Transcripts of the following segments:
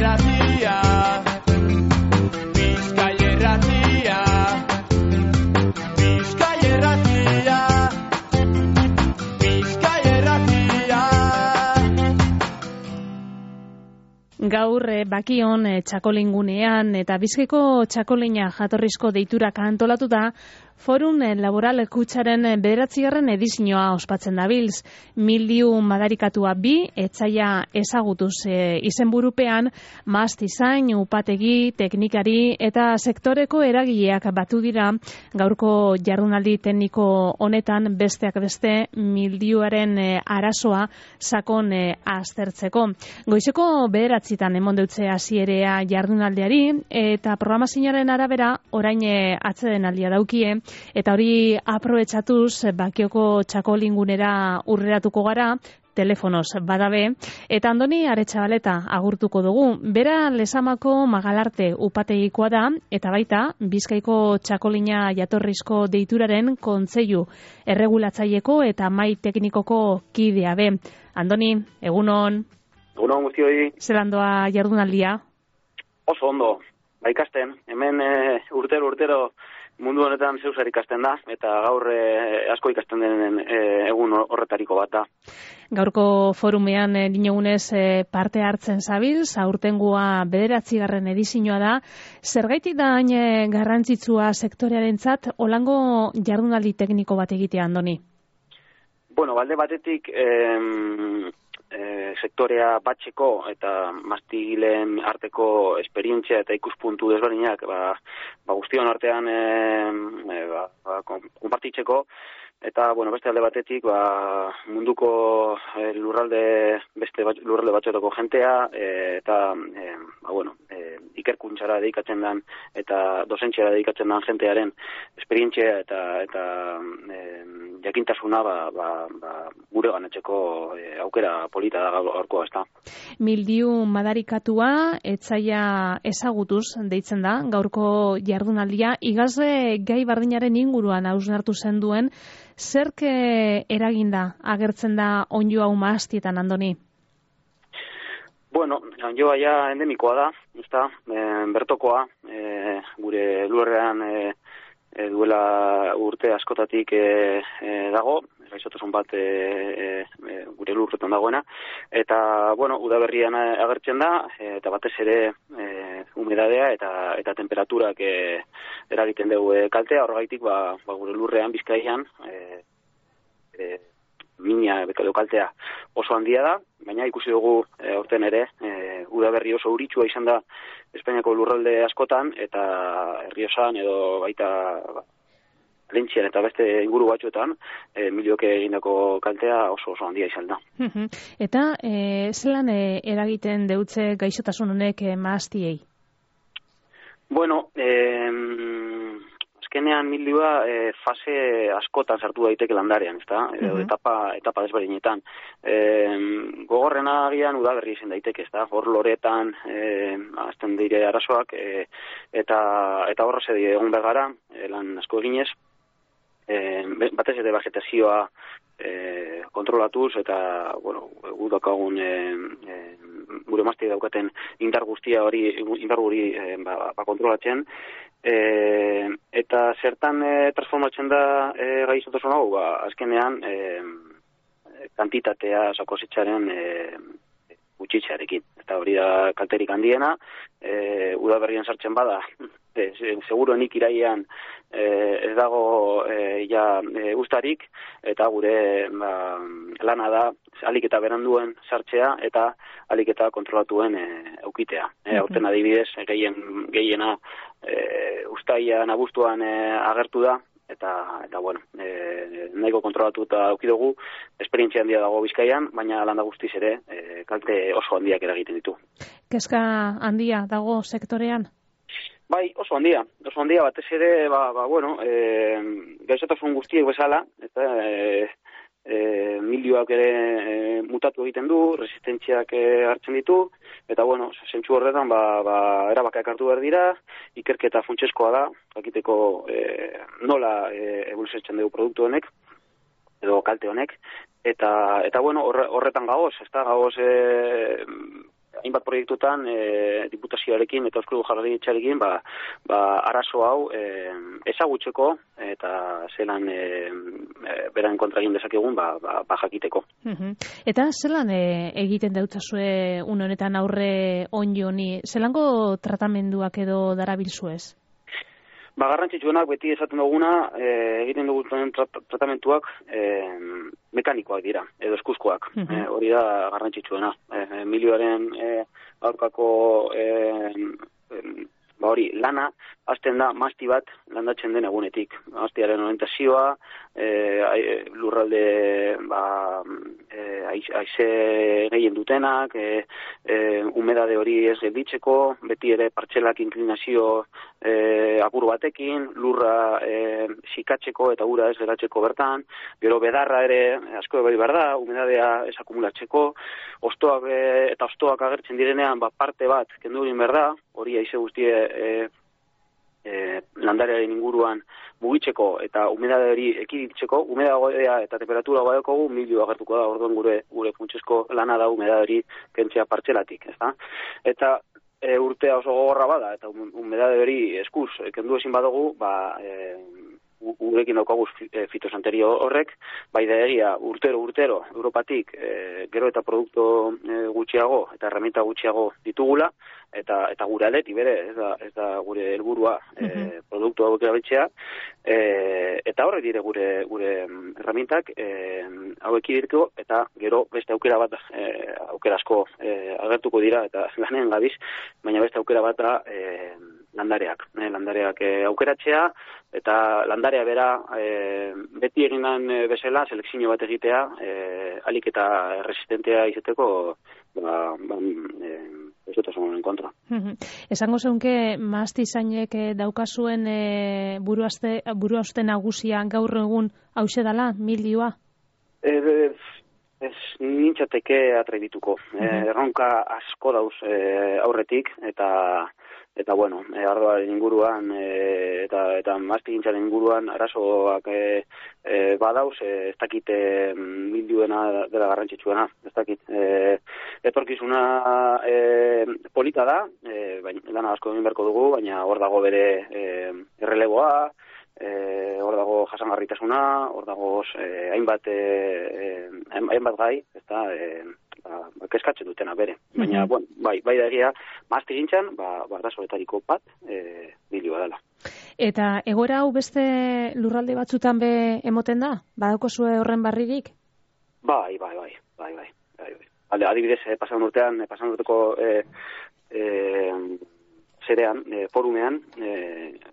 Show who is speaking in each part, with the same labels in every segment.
Speaker 1: Irratia, Bizkai Irratia, Bizkai Irratia, Bizkai Irratia.
Speaker 2: Gaur bakion txakolingunean eta Bizkaiko txakolina jatorrizko deitura antolatuta Forum Laboral Kutsaren 9. edizioa ospatzen dabilz. Mildiu madarikatua 2, etsaia ezagutuz izenburupean, mastizain, upategi, teknikari eta sektoreko eragileak batu dira gaurko jardunaldi tekniko honetan besteak beste mildiuaren arazoa sakon aztertzeko. Goizeko 9 emon deutze hasierea jardunaldiari eta programazioaren arabera orain atsedenaldia daukie. Eta hori aprobetxatuz Bakioko txakolingunera urreratuko gara, telefonoz badabe, eta Andoni Aretxabaleta agurtuko dugu. Bera Lezamako Magalarte upategikoa da, eta baita Bizkaiko txakolina jatorrizko deituraren kontseilu erregulatzaileko eta mai teknikoko kidea be. Andoni, egunon.
Speaker 3: Egunon guztioi.
Speaker 2: Zelan doa jardunaldia?
Speaker 3: Oso ondo, ikasten. Hemen urtero mundu honetan zeusar ikasten da, eta gaur asko ikasten den egun horretariko bat da.
Speaker 2: Gaurko forumean dinogunez parte hartzen zabilz, aurtengua 9. edizioa da. Zergaitik da hain garrantzitsua sektorearentzat olango jardunaldi tekniko bat egitea, Andoni?
Speaker 3: Bueno, balde batetik sektorea batxeko eta mastigileen arteko esperientzia eta ikuspuntu desberdinak guztion artean konpartitzeko, eta beste alde batetik munduko beste lurralde batzuetako jentea eta ikerkuntzara dedikatzen den eta dosentziara dedikatzen den jentearen esperientzia eta jakintasuna gure ganatzeko aukera polita da gaurkoa, ezta.
Speaker 2: Mildiu madarikatua etsaia ezagutuz deitzen da gaurko jardunaldia. Igazle gai bardinaren inguruan hausnartu zen duen, zerk eraginda agertzen da onddo hau mahastietan, Andoni?
Speaker 3: Bueno, onddoa ja endemikoa da, ezta, bertokoa, gure lurrean duela urte askotatik dago, gaixotasun bat gure lurretan dagoena, eta, udaberrian agertzen da, eta batez ere humedadea eta temperaturak eragiten dugu kaltea, horregaitik gure lurrean Bizkaian mina edo kaltea oso handia da, baina ikusi dugu aurten ere udaberri oso uritsua izan da Espainiako lurralde askotan, eta Errioxan edo baita Lentzian eta beste inguru batzuetan milioke egindako kaltea oso handia izan da.
Speaker 2: Eta zelan eragiten deutze gaixotasun honek mahastiei?
Speaker 3: Bueno, azkenean mildua fase askotan sartu daiteke landarean, ezta? Etapa desberdinetan. Gogorrena agian udaberri izan daiteke, ezta? Hor loretan azten dire arazoak eta horra zedi egon begara, lan asko eginez, batez ere vegetazioa kontrolatuz eta, gudakagun gure mazte daukaten indar guri kontrolatzen, eta zertan transformatzen da gaixotasun hau, azkenean kantitatea sakosetzaren gutxitzearekin. Eta hori da kalterik handiena, udaberrian sartzen bada, seguruenik irailean ez dago ustarik, eta gure lana da alik eta beranduen sartzea eta alik eta kontrolatuen eukitea. Aurten adibidez, gehiena ustaian abuztuan agertu da, eta nahiko kontrolatu eta aukidugu, esperientzia handia dago Bizkaian, baina landa guztiz ere kalte oso handiak eragiten ditu.
Speaker 2: Kezka handia dago sektorean?
Speaker 3: Bai, oso handia batez ere, gaixotasun guztiek bezala, eta milioak ere mutatu egiten du, resistentziak hartzen ditu, eta zentzu horretan erabakak hartu behar dira, ikerketa funtsezkoa da, jakiteko nola eboluzioetzen dugu produktu honek, edo kalte honek, eta horretan gagoz, ez da gagoz hainbat proiektutan diputazioarekin eta Eusko Jaurlaritzarekin arazo hau ezagutzeko eta zelan beran kontra egin dezakegun jakiteko.
Speaker 2: Eta zelan egiten dautzazue une honetan aurre onjo honi, zelango tratamenduak edo darabilzuez?
Speaker 3: Garrantzitsuenak beti esaten duguna, egiten dugun tratamentuak mekanikoak dira, edo eskuzkoak. Hori da garrantzitsuena. Milioaren aurkako lana, hasten da masti bat landatzen den egunetik. Mastiaren orientazioa, lurralde haize gehien dutenak, humedade hori ez gelditzeko, beti ere partzelak inklinazio apur batekin, lurra sikatzeko eta ura ez geratzeko bertan, gero bedarra ere asko bai behar da, humedadea ez akumulatzeko, hostoak agertzen direnean parte bat kendu egin behar da, hori haize guztie landarearen inguruan mugitzeko eta humedade hori ekiditzeko, humedadea eta temperatura badekogu milio agertuko da, orduan gure funtsezko lana da humedade hori kentzea partzelatik, ezta? Eta urtea oso gogorra bada, eta humedade hori eskuz kendu ezin badugu, gurekin daukagu fitosanterio horrek, bai da egia urtero Europatik gero eta produktu gutxiago eta herramienta gutxiago ditugula, eta gure aldetik bere, ez da gure helburua produktu hauek erabiltzea, eta horrek dire gure herramientak hauek direko, eta gero beste aukera bat, aukera asko agertuko dira, eta lanean gabiz, baina beste aukera bat da landareak aukeratzea, eta landarea bera beti eginan bezala selekzio bat egitea, alik eta resistentea izeteko esotasunaren kontra.
Speaker 2: Esango zeunke mahastizainek daukazuen buruhauste nagusia gaur egun hauxe dala, milioa?
Speaker 3: Ez nintzateke atrebituko. Erronka asko dauz aurretik, eta bueno, ardoaren inguruan eta mastigintzaren inguruan arazoak badauz, ez dakit milioena dela garrantzitsuena, ez dakit. Etorkizuna polita da, lana asko egin beharko dugu, baina hor dago bere erreleboa, hor dago jasangarritasuna, hor dago hainbat gai, ezta kezkatzen dutena bere. Baina, bai da egia, mastigintzan, arazoetariko bat milioa dela.
Speaker 2: Eta egoera hau beste lurralde batzutan be emoten da? Badakozue horren barririk?
Speaker 3: Bai. Adibidez, pasan urteko zerean, forumean,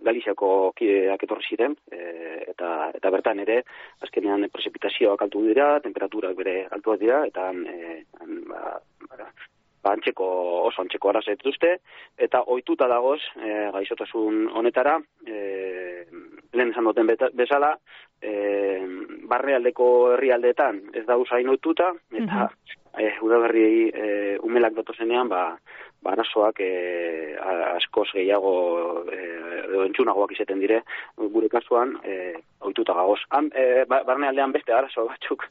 Speaker 3: Galiziako kideak etorri ziren, eta bertan ere, azkenean prezipitazioak altu dira, temperaturak bere altuak dira, eta oso antzeko arazoak dituzte, eta ohituta dagoz, gaixotasun honetara, lehen esan duten bezala, barnealdeko herrialdeetan ez da usain ohituta, eta udaberri umelak datozenean, arazoak askoz gehiago edo entzunagoak izaten dire, gure kasuan ohituta gagoz. Barnealdean beste arazo batzuk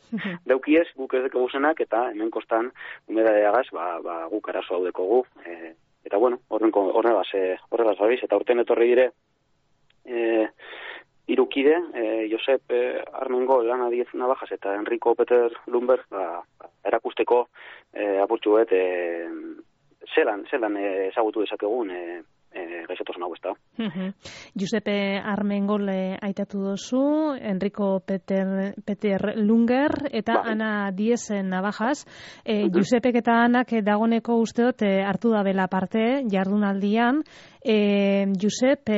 Speaker 3: daukiez, guk ez dekogu zenak, eta hemen kostan humedadeagaz guk arazo hau dekogu. Eta bueno, horregaz gabiz, eta urten etorri dire irukide, Josep Armengol, Ana Diez Navajas eta Enrico Peter Lumber erakusteko apurtxu bet zelan ezagutu dezakegun gaixotasun hau ez da.
Speaker 2: Giuseppe Armengol aitatu dozu, Enrico Peter Lunger eta Ana Diez Navajas. Giuseppek eta Anak dagoneko usteot hartu da bela parte jardunaldian. Josep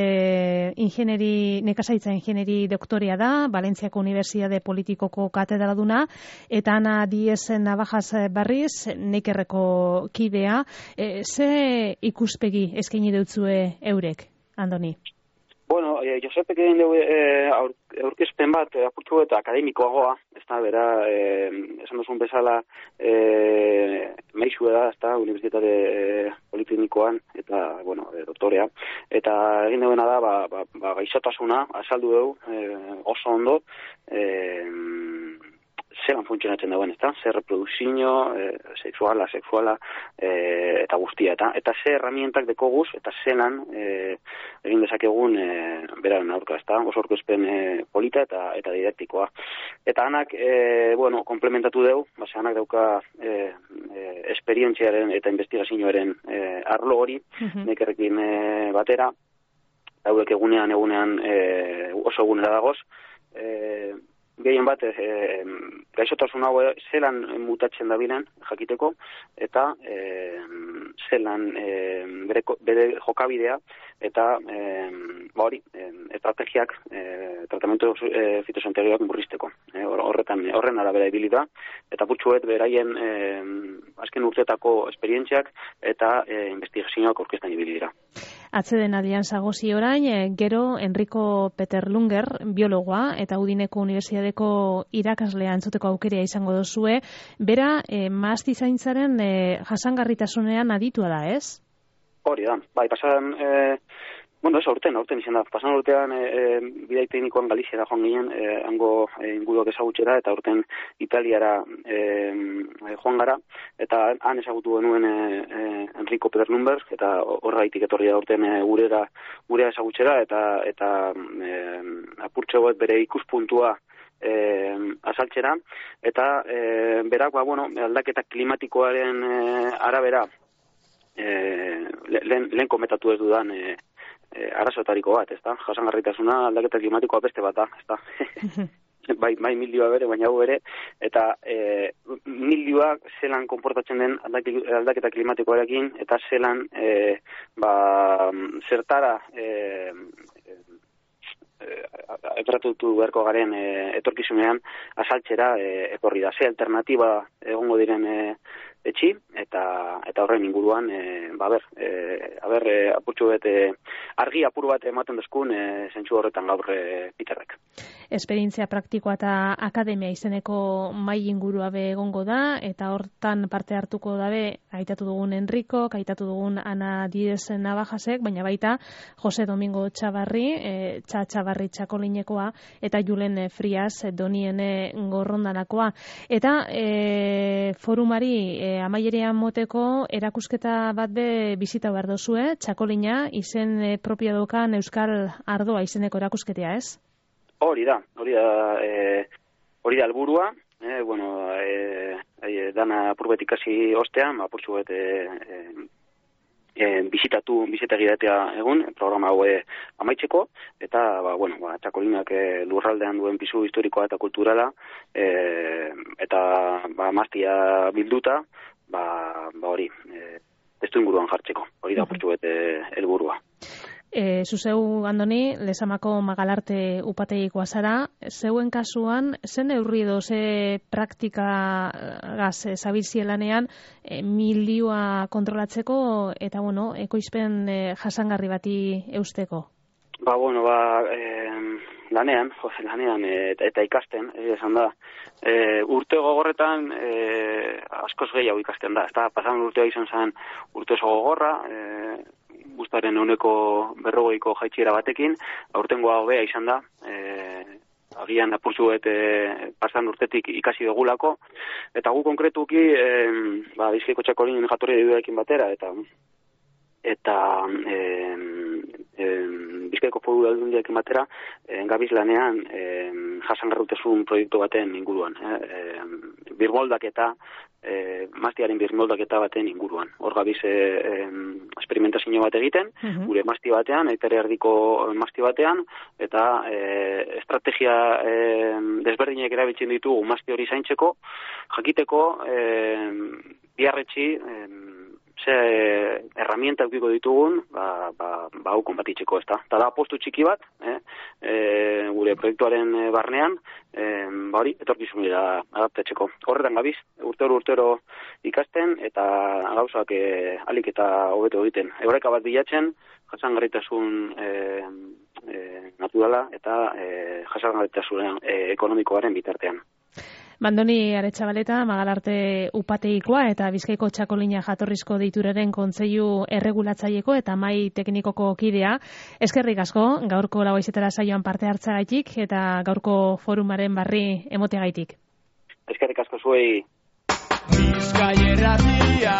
Speaker 2: nekazaritza ingenieri doktorea da, Valentziako Unibertsitate Politikoko katedraduna, eta Ana Diez Navajas berriz, Neikerreko kidea. Ze ikuspegi eskaini deutzue eurek, Andoni?
Speaker 3: Bueno, Josepek egin dugu aurkezpen bat apurtu eta akademikoagoa, ez da, bera, esan duzun bezala, meixu da, ez da, Unibertsitate Politeknikoan, eta, bueno, doktorea, eta egin duena da, gaixotasuna, azaldu dugu, oso ondo, zelan funtzionatzen dagoen, ezta? Zer reprodukzio, sexuala, eta guztia, eta ze herramientak dekoguz, eta zelan egin dezakegun beraren aurka, ezta? Oso aurkezpen polita eta didaktikoa. Eta anak, komplementatu deu, anak dauka esperientziaren eta investigazioaren arlo hori, nekerrekin batera, hauek egunean oso egunera dagoz, gehien bat, gaixotasun hau zelan mutatzen dabilen jakiteko, eta zelan bere jokabidea, eta estrategiak, tratamentu fitosanitariak murrizteko. Horren arabera ibili da, eta putxuet beraien azken urteetako esperientziak eta investigazioak orkestan ibili dira.
Speaker 2: Atzeden aldian zagozi orain, gero Enrico Peterlunger, biologoa, eta Udineko Unibertsitateko irakaslea entzuteko aukerea izango dozue, bera mahastizaintzaren jasangarritasunean aditua da, ez?
Speaker 3: Hori da, bai, pasan, aurten izan da, pasan urtean bidai teknikoan Galiziara joan ginen, hango inguruak ezagutxera, eta aurten Italiara joan gara, eta han ezagutu genuen Enrico Peterlunger, eta horreitik etorri da aurten gurea ezagutxera, eta apurtxo bat bere ikuspuntua azaltzera, eta berak, aldaketa klimatikoaren arabera, lehen komentatu ez dudan arazoetariko bat, ezta? Jasangarritasuna aldaketa klimatikoa beste bat da, ezta? bai milioa bere, baina hau ere, eta milioa zelan konportatzen den aldaketa klimatikoarekin, eta zelan zertara etratutu beharko garen etorkizunean azaltzera etorri da. Ze alternatiba egongo diren etxi, eta horren inguruan, apurtxo bet, argi apur bat ematen dezkun zentsu horretan gaur Peterrek.
Speaker 2: Esperientzia praktikoa eta akademia izeneko mai ingurua be egongo da, eta hortan parte hartuko dabe, aitatu dugun Enrico, aitatu dugun Ana Díez Navajasek, baina baita Jose Domingo Txabarri, Txabarri Txakolinekoa, eta Julen Frias Donien Gorrondanakoa. Eta forumari amaierean moteko erakusketa bat be bizita behar dozue, Txakolina izen propio dokan Euskal Ardoa izeneko erakusketea, ez?
Speaker 3: Hori da helburua, dana apurbet ikasi ostean, apurtxu bet bizitegi datea egun, programa hau amaitzeko, eta Txakolinak lurraldean duen pisu historikoa eta kulturala, eta mastia bilduta, hori, testu inguruan jartzeko, hori da apurtxu bet helburua.
Speaker 2: Zuzeu, Andoni, Lezamako Magalarte upategikoa zara, zeuen kasuan, zen neurri edo ze praktikagaz zabilzielanean milioa kontrolatzeko eta, ekoizpen jasangarri bati eusteko? Lanean eta ikasten, esan da, urte gogorretan askoz gehiago ikasten da, eta pasan urtea izan zen urte oso gogorra, guztaren 140ko jaitxiera batekin, aurtengoa hobea izan da, agian apurtxu pasan urtetik ikasi dugulako, eta gu konkretuki, Bizkaiko Txakolinen jatorri dudarekin batera, eta Bizkaiko Foru Aldundiarekin batera, gabiz lanean jasangarritasun proiektu baten inguruan. Birmoldaketa, mastiaren birmoldaketa baten inguruan. Hor gabiz experimentazio bat egiten, gure masti batean, eitere erdiko masti batean, eta estrategia desberdinak erabiltzen ditugu masti hori zaintzeko, jakiteko biarretxi ze herramienta eukiko ditugun, hau konbatitzeko, ezta. Eta da postu txiki bat, gure proiektuaren barnean, hori, etorkizunera adaptatzeko. Horretan gabiz, urtero ikasten, eta gauzak alik eta hobeto egiten. Eureka bat bilatzen, jasangarritasun naturala eta jasangarritasun ekonomikoaren bitartean. Andoni Aretxabaleta, Magalarte upategikoa eta Bizkaiko Txakolina jatorrizko deituraren kontseilu erregulatzaieko eta mai teknikoko kidea. Eskerrik asko, gaurko Lau Haizetara saioan parte hartzagaitik eta gaurko forumaren barri emoteagaitik.
Speaker 3: Eskerrik asko zuei.
Speaker 1: Bizkai Irratia.